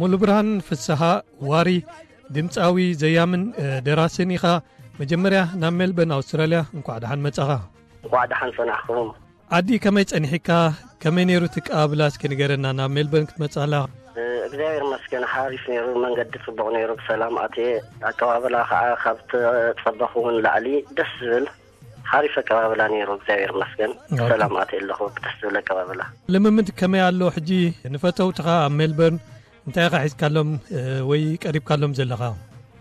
ሙሉ ብርሃን ፍስሃ ዋሪ፣ ድምፃዊ፣ ዘያምን ደራስን ኢኻ። መጀመርያ ናብ ሜልበርን ኣውስትራልያ እንኳዕ ደሓን መጻኻ። እንኳዕ ደሓን ጸናሕኩም። ዓዲ ከመይ ጸኒሕካ? ከመይ ነይሩ እቲ ኣቀባብላ? እስኪ ንገረና፣ ናብ ሜልበርን ክትመጽእ ከለኻ። እግዚኣብሔር ይመስገን፣ ሓሪፍ ነይሩ፣ መንገዲ ጽቡቕ ነይሩ፣ ብሰላም ኣትየ። ኣቀባብላ ከዓ ካብ ተጸበኹ እውን ላዕሊ ደስ ዝብል ሓሪፍ ኣቀባብላ ነይሩ፣ እግዚኣብሔር ይመስገን። ኦኬ። ብሰላም ኣትየ ኣለኹ፣ ብደስ ዝብል ኣቀባብላ። ልምምድ ከመይ ኣሎ ሕጂ? ንፈተውትኻ ኣብ ሜልበርን እንታይ ኢኻ ሒዝካሎም፣ እ፣ ወይ ቀሪብካሎም ዘለኻ?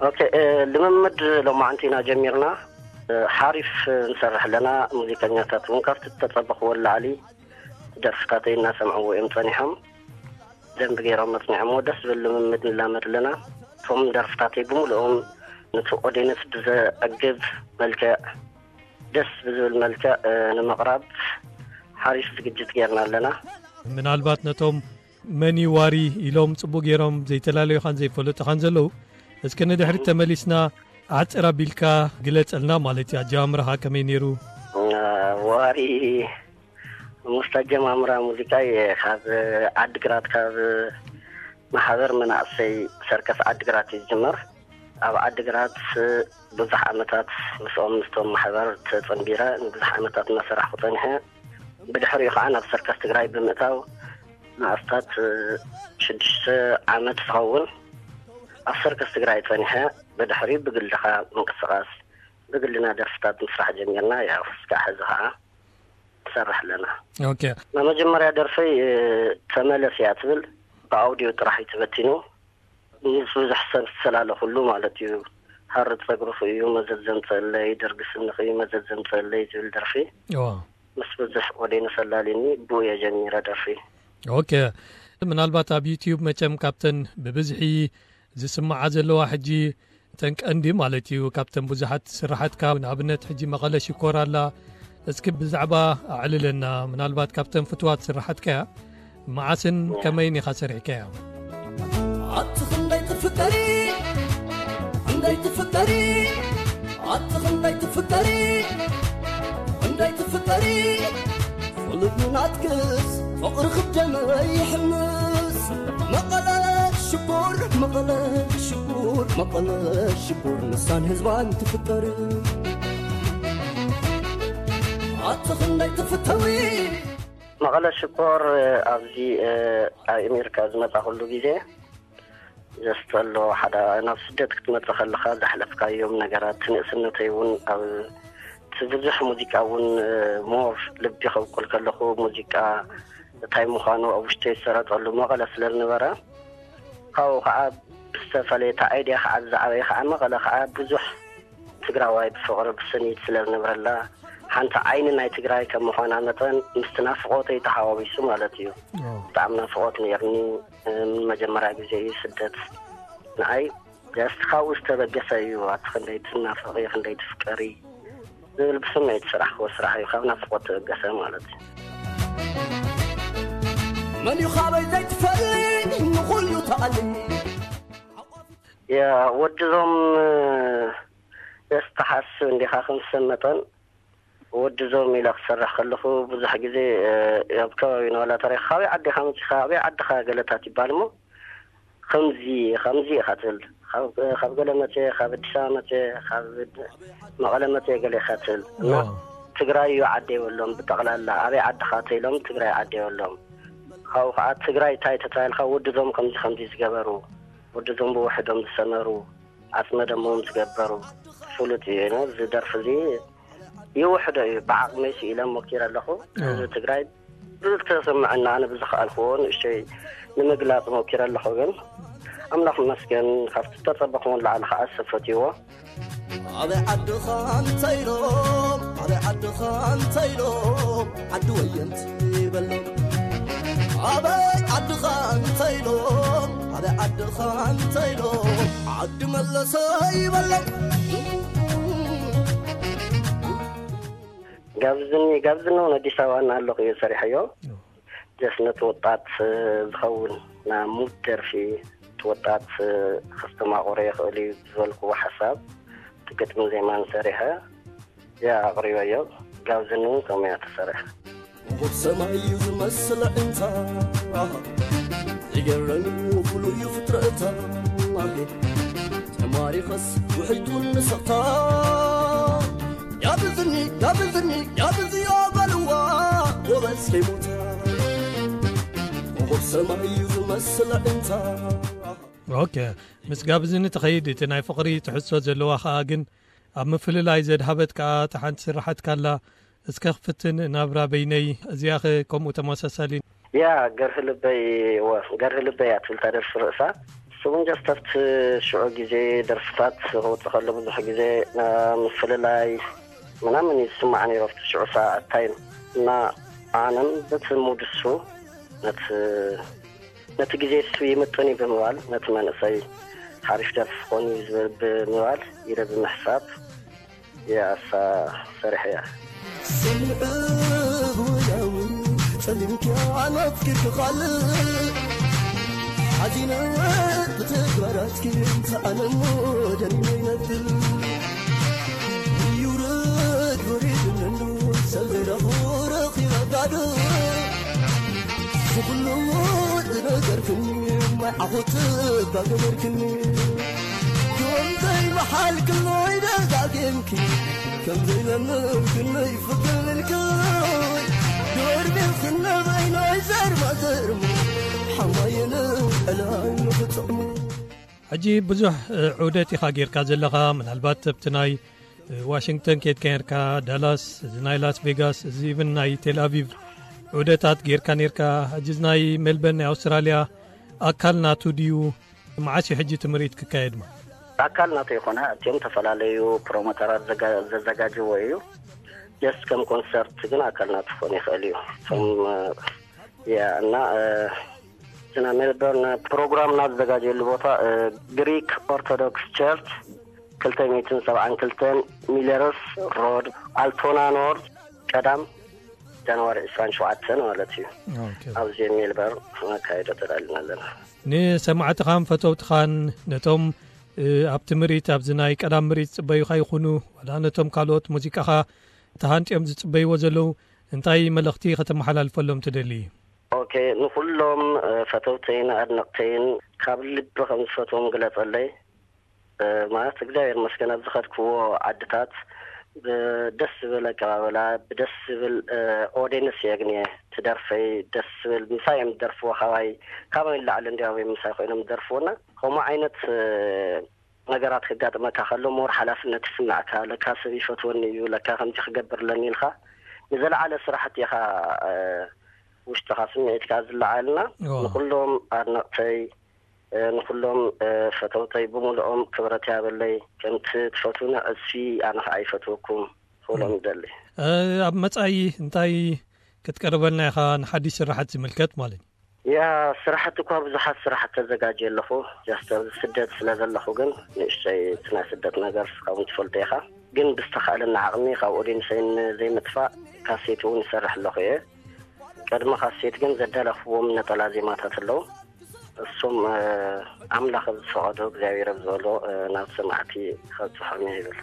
ኦኬ፣ እ፣ ልምምድ ሎማዕንቲ ኢና ጀሚርና። እ፣ ሓሪፍ ንሰርሕ ኣለና። ሙዚቀኛታት እውን ካብቲ ዝተጸበኽዎ ንላዕሊ ደርፍታተይ እናሰምዕዎ እዮም ጸኒሖም። ደንቢ ገይሮም መጽኒዖምዎ። ደስ ዝብል ልምምድ ንላመድ ኣለና። እቶም ደርፍታተይ ብምልኦም ነቲ ኦዴንስ ብዘዕግብ መልክዕ፣ ደስ ብዝብል መልክዕ፣ እ፣ ንምቕራብ ሓሪፍ ዝግጅት ጌርና ኣለና። ምናልባት ነቶም መን እዩ ዋሪ ኢሎም ጽቡቕ ገይሮም ዘይተላለዩኻን ዘይፈለጡኻን ዘለዉ፣ እስከ ንድሕሪት ተመሊስና ዓጽር ኣቢልካ ግለጸልና ማለት እዩ። ኣጀማምራኻ ከመይ ነይሩ? እ፣ ዋሪ ምስቲ ኣጀማምራ ሙዚቃይ ካብ ዓዲግራት፣ ካብ ማሕበር መናእሰይ ሰርከስ ዓዲግራት እዩ ዝጅመር። ኣብ ዓዲግራት ብዙሕ ዓመታት ምስኦም፣ ምስቶም ማሕበር ተጸንቢረ ንብዙሕ ዓመታት እናሰራሕኩ ጸኒሐ። ብድሕሪኡ ከዓ ናብ ሰርከስ ትግራይ ብምእታው ንኣስታት ሽዱሽተ ዓመት ዝኸውን ኣብ ሰርከስ ትግራይ ጸኒሐ። ብድሕሪኡ ብግልኻ ምንቅስቓስ፣ ብግልና ደርፍታት ምስራሕ ጀሚርና። ያው እስካዕ ሕዚ ከዓ ትሰርሕ ኣለና። ኦኬ። መጀመርያ ደርፈይ፣ እ፣ ተመለስ እያ ትብል፣ ብኣውዲዮ ጥራሕ እዩ ተበቲኑ። ምስ ብዙሕ ሰብ ዝተላለኹሉ ማለት እዩ። ሃርድ ጸጉርኹ እዩ መዘዝ ዘምጸለይ፣ ደርጊ ስንኺ እዩ መዘዝ ዘምጸለይ ዝብል ደርፊ። እዋ። ምስ ብዙሕ ኦዴንስ ኣላልዩኒ፣ ብኡ እየ ጀሚረ ደርፊ። ኦኬ። ምናልባት ኣብ ዩትዩብ መቸም ካብተን ብብዝሒ ዝስምዓ ዘለዋ ሕጂ፣ እተን ቀንዲ ማለት እዩ፣ ካብተን ብዙሓት ስራሓትካ፣ ንኣብነት ሕጂ መቐለ ሽኮር ኣላ። እስኪ ብዛዕባ ኣዕልለና፣ ምናልባት ካብተን ፍትዋት ስራሓትካ እያ። መዓስን ከመይን ኢኻ ሰሪሕካያ? ኣቲ ክንደይ ትፍቀሪ፣ ክንደይ ትፍቀሪ፣ ኣቲ ክንደይ ትፍቀሪ፣ ክንደይ ትፍቀሪ፣ ፍሉይ ናትክስ ፍቕሪ ክደመይ ይሕምስ። መቐለ ሽኮር፣ መቐለ ሽኮር፣ መቐለ ሽኮር፣ ንሳን ህዝባን ትፍቀሪ። ኣቲ ክንደይ ትፍተዊ። መቐለ ሽኮር፣ ኣብዚ፣ እ፣ ኣብ ኣሜሪካ ዝመጻኹሉ ግዜ ዘስተሎ ሓደ፣ ናብ ስደት ክትመጽእ ከለኻ ዘሕለፍካዮም ነገራት፣ ንእስነተይ እውን ኣብ እቲ ብዙሕ ሙዚቃ እውን፣ እ፣ ሞር ልቢ ከብቁል ከለኹ ሙዚቃ እንታይ ምዃኑ ኣብ ውሽጠይ ዝሰረጸሉ መቐለ ስለ ዝነበረ፣ ካብኡ ከዓ ብዝተፈለየ እቲ ኣይድያ ከዓ ዝዓበየ ከዓ መቐለ ከዓ ብዙሕ ትግራዋይ ብፍቕሪ ብስኒት ስለ ዝነብረላ፣ ሓንቲ ዓይኒ ናይ ትግራይ ከም ምዃና መጠን ምስቲ ናፍቖተይ ተሓዋዊሱ ማለት እዩ። ኦ። ብጣዕሚ ናፍቖት ነይርኒ። እ፣ መጀመርያ ግዜ እዩ ስደት ንዓይ። ጀስት ካብኡ ዝተበገሰ እዩ። ኣቲ ክንደይ ትናፍቒ፣ ክንደይ ትፍቀሪ ዝብል ብስምዒት ዝሰራሕክዎ ስራሕ እዩ። ካብ ናፍቖት ተበገሰ ማለት እዩ። መን እዩ ካበይ ዘይትፈልጥ ንኹሉ ተኣሊ። ያ፣ ወድዞም፣ እ፣ ጀስት ትሓስብ እንዲኻ ከም ሰብ መጠን ወድዞም ኢለ ክሰርሕ ከለኹ ብዙሕ ግዜ፣ እ፣ ኣብ ከባቢና ዋላ ተረኺ፣ "ካበይ ዓዲ ኢኻ መጺኻ? ኣበይ ዓድኻ?" ገለታት ይባል እሞ፣ "ከምዚ፣ ከምዚ ኢኻ" ትብል። "ካብ፣ ካብ ገለ መጽየ፣ ካብ ኣዲስ ኣበባ መጽየ፣ ካብ መቐለ መጽየ" ገለ ኢኻ ትብል። እና ዋው። ትግራይ እዩ ዓደይ በሎም፣ ብጠቕላላ ኣበይ ዓድኻ ተኢሎም ትግራይ ዓደይ በሎም። ካብኡ ከዓ ትግራይ እንታይ ተታይልካ፣ ወድዞም ከምዚ ከምዚ ዝገበሩ፣ ወድዞም ብውሕዶም ዝሰመሩ፣ ዓጽመ ደሞም ዝገበሩ ፍሉጥ እዩ። እዚ ደርፊ እዚ ይውሕዶ እዩ። ብዓቕመይ ስኢለ ሞኪረ ኣለኹ። ህዝቢ ትግራይ ብዝተሰምዐና ኣነ ብዝኸኣልክዎ ንእሽተይ ንምግላጽ ሞኪረ ኣለኹ። ግን ኣምላኽ ይመስገን ካብቲ ዝተጸበኹዎ ንላዕሊ ከዓ ሰብ ፈትይዎ። ኣበይ ዓድኻ እንተኢሎም፣ ኣበይ ዓድኻ እንተኢሎም፣ ዓዲ ወየንቲ ይበሎም። ኣበይ ዓድኻ እንተኢሎም፣ ኣበይ ዓድኻ እንተኢሎም፣ ዓዲ መለሰ ይበሎም። ጋብዝኒ፣ ጋብዝኒ እውን ኣዲስ ኣበባ እናሃለኹ እየ ሰሪሐዮ። ጀስት ነቲ ወጣት፣ እ፣ ዝኸውን ናይ ሙድ ደርፊ፣ እቲ ወጣት፣ እ፣ ከስተማቕሮ ይኽእል እዩ ዝበልክዎ ሓሳብ፣ እቲ ግጥሚ ዜማን ሰሪሐ እያ ኣቕሪበዮ። ጋብዝኒ እውን ከምኡ እያ ተሰሪሐ። ወብ ሰማይ እዩ ዝመስል ዕንታ። ይገረኒ ፍሉይ ፍጥረታ ተማሪኸስ ውሕይቱ ንስቕታ ያብዝኒ ያብዝኒ ያብዝዮ በልዋ ጎበዝ ከይሞታ ኮኾብ ሰማይ እዩ ዝመስል ኣዒንታ። ኦኬ፣ ምስ ጋብዝኒ ትኸይድ እቲ ናይ ፍቕሪ ትሕዝቶ ዘለዋ ኸኣ ግን ኣብ ምፍልላይ ዘድሃበት ከኣ እታ ሓንቲ ስራሓትካ ኣላ። እስከ ክፍትን ናብራ በይነይ፣ እዚኣ ኸ ከምኡ ተመሳሳሊ? ያ፣ ገርህ ልበይ፣ እወ፣ ገርህ ልበይ እያ ትብል እታ ደርፊ ርእሳ። እሱ እውን ጀስት ኣብቲ ሽዑ ግዜ ደርፍታት ክወጽእ ከሎ ብዙሕ ግዜ፣ እ፣ ምፍልላይ ምናምን እዩ ዝስማዕ ነይሩ ኣብቲ ሽዑ ሰዓት ታይም። እና ኣነም በቲ ሙድ እሱ ነቲ ነቲ ግዜ እሱ ይምጥን እዩ ብምባል፣ ነቲ መንእሰይ ሓሪፍ ደርፊ ክኾን እዩ ዝብል ብምባል ኢለ ብምሕሳብ እያ እሳ ሰሪሐያ። ስምዕብ ወያው ጸሊምኪ ኣናፍኪ ክኻልእ ሓዚነ ብተግባራትኪ እንተ ኣነ እሞ ደኒነ ይነብር። ይውረድ ወሪድ እንዶ ሰብ ዘይረኽቦ ረኺበ ጋዶ። ብኹሉ ዝነገርክኒ ማይ ዓኹት እባ ገበርክኒ። ከምዘይ መሓልክለይ ደጋጊምኪ፣ ከምዘይ ለምንክለይ ፍቅርክለይ። ዶርቤ ክነበይ ናይ ዘርማ ዘርማ፣ ሓማየን ዕላይ ንኽጥቕሙ። ሕጂ ብዙሕ፣ እ፣ ዑደት ኢኻ ጌርካ ዘለኻ። ምናልባት ኣብቲ ናይ፣ እ፣ ዋሽንግተን ኬድካ ኔርካ፣ ዳላስ፣ እዚ ናይ ላስ ቬጋስ፣ እዚ ኢቭን ናይ ቴል ኣቪቭ ዑደታት ጌርካ ኔርካ። ሕጂ እዚ ናይ ሜልበርን ናይ ኣውስትራልያ ኣካል ናቱ ድዩ? መዓስ እዩ ሕጂ እቲ ምርኢት ክካየድ? ማ ኣካል ናቱ ይኮነ፣ እቲኦም ዝተፈላለዩ ፕሮሞተራት ዘጋ-፣ ዘዘጋጅዎ እዩ። ጀስት ከም ኮንሰርት ግን ኣካል ናቱ ክኾን ይኽእል እዩ። እቶም፣ እ፣ ያ፣ እና፣ እ፣ እቲ ናይ ሜልበርን ፕሮግራም ናብ ዘዘጋጀየሉ ቦታ፣ እ፣ ግሪክ ኦርቶዶክስ ቸርች ክልተ ሚእትን ሰብዓን ክልተን ሚለርስ ሮድ፣ ኣልቶና ኖርዝ፣ ቀዳም ጃንዋሪ ዕስራን ሸውዓተን ማለት እዩ። ኦኬ። ኣብዚ ሜልበርን ክነካይዶ ተዳሊና ኣለና። ንሰማዕትኻን ፈተውትኻን ነቶም፣ እ፣ ኣብቲ ምርኢት፣ ኣብዚ ናይ ቀዳም ምርኢት ዝጽበዩኻ ይኹኑ፣ ዋላ ነቶም ካልኦት ሙዚቃኻ ተሃንጥዮም ዝጽበይዎ ዘለዉ እንታይ መልእኽቲ ከተመሓላልፈሎም ትደሊ? ኦኬ፣ ንኹሎም፣ እ፣ ፈተውተይን ኣድነቕተይን ካብ ልቢ ከም ዝፈትዎም ግለጸለይ። እ፣ ማለት እግዚኣብሔር ይመስገን ኣብ ዝኸድክዎ ዓድታት ብደስ ዝብል ኣቀባበላ፣ ብደስ ዝብል፣ እ፣ ኦዲየንስ እየ ኣግንየ። እቲ ደርፈይ ደስ ዝብል ምሳይ እዮም ዝደርፍዎ። ካባይ፣ ካባይ ንላዕሊ እንዲያው እዮም ምሳይ ኮይኖም ዝደርፍዎና። ከምኡ ዓይነት፣ እ፣ ነገራት ክጋጥመካ ከሎ ሞር ሓላፍነት ይስምዓካ። ለካ ሰብ ይፈትወኒ እዩ፣ ለካ ከምዚ ክገብር ኣለኒ ኢልካ ንዘለዓለ ስራሕቲ ኢኻ፣ እ፣ ውሽጥኻ ስምዒትካ ዝለዓልና። እዎ። ንኹሎም ኣድነቕተይ፣ እ፣ ንኹሎም፣ እ፣ ፈተውተይ ብምልኦም ክብረት ያበለይ። ከምቲ ትፈትውኒ ዕጽፊ ኣነ ኸዓ ይፈትወኩም ክብሎም ይደሊ። እ፣ ኣብ መጻኢ እንታይ ክትቀርበልና ኢኻ ንሓድሽ ስራሓት ዝምልከት ማለት እዩ? ያ፣ ስራሕቲ እኳ ብዙሓት ስራሕቲ ተዘጋጅየ ኣለኹ። ጃስት ኣብዚ ስደት ስለ ዘለኹ ግን ንእሽተይ እቲ ናይ ስደት ነገር እስኻ እውን ትፈልጦ ኢኻ። ግን ብዝተኻእለኒ ዓቕሚ ካብ ኦዲየንሰይ ንዘይምጥፋእ ካሴት እውን ይሰርሕ ኣለኹ እየ። ቅድሚ ካሴት ግን ዘዳለኽዎም ነጠላ ዜማታት ኣለዉ። እሱም፣ እ፣ ኣምላኽ ኣብ ዝፈቐዶ እግዚኣብሔር ኣብ ዝበሎ፣ እ፣ ናብ ሰማዕቲ ከብጽሖም እየ ይብል።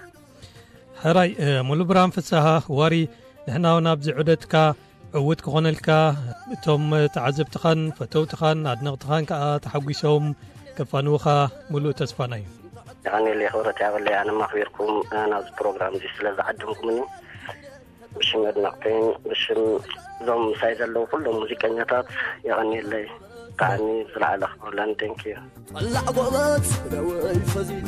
ሕራይ፣ እ፣ ሙሉ ብርሃን ፍስሃ ዋሪ፣ ንሕና እውን ኣብዚ ዑደትካ ዕዉት ክኾነልካ፣ እቶም ተዓዘብትኻን ፈተውትኻን ኣድነቕትኻን ከኣ ተሓጒሶም ከፋንውኻ ምሉእ ተስፋና እዩ። የቐንየለይ ክብረት ያበለይ ኣነ ማኽቢርኩም፣ እ፣ ናብዚ ፕሮግራም እዚ ስለ ዝዓደምኩምኒ ብሽም ኣድነቕተይን ብሽም እዞም ምሳይ ዘለዉ ኩሎም ሙዚቀኛታት የቐንየለይ። ብጣዕሚ ዝለዓለ ክብርለን። Thank you። ጠላዕ ጎበዝ ደወይ ፈዚጠ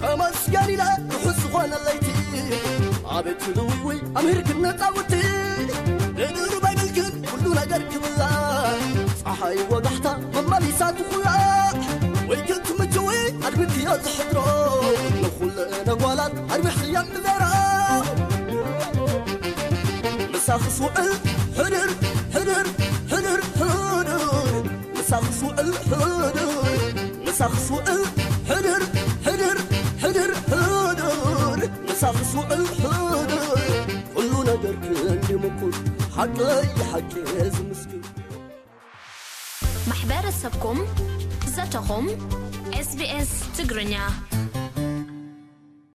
ተመስገን ኢለ ርሑስ ዝኾነ ለይቲ ኣቤት ልውውይ ኣምሂር ክነጻውቲ ንድሩ ባይብልክን ኩሉ ነገር ክብላ ፀሓይ ወጋሕታ መመሊሳ ትኹላዕ ወይ ግን ትምችዊ ኣድሚትዮ ዝሕድሮ ንኹለ ነጓላት ኣርቢሕኽየን ብዘራ ምሳኽስ ውዕል ሕድር ሕድር ሕድር ሕድር ምሳኽስ ውዕል ሕድር ምሳኽስ ውዕል ሕድር ሕድር ሕድር ሕድር ምሳኽስ ውዕል ሕድር ኩሉ ነገር ክንዲ ምኩር ሓቀይ ሓቂ ዝምስክር ማሕበረሰብኩም ዘተኹም SBS ትግርኛ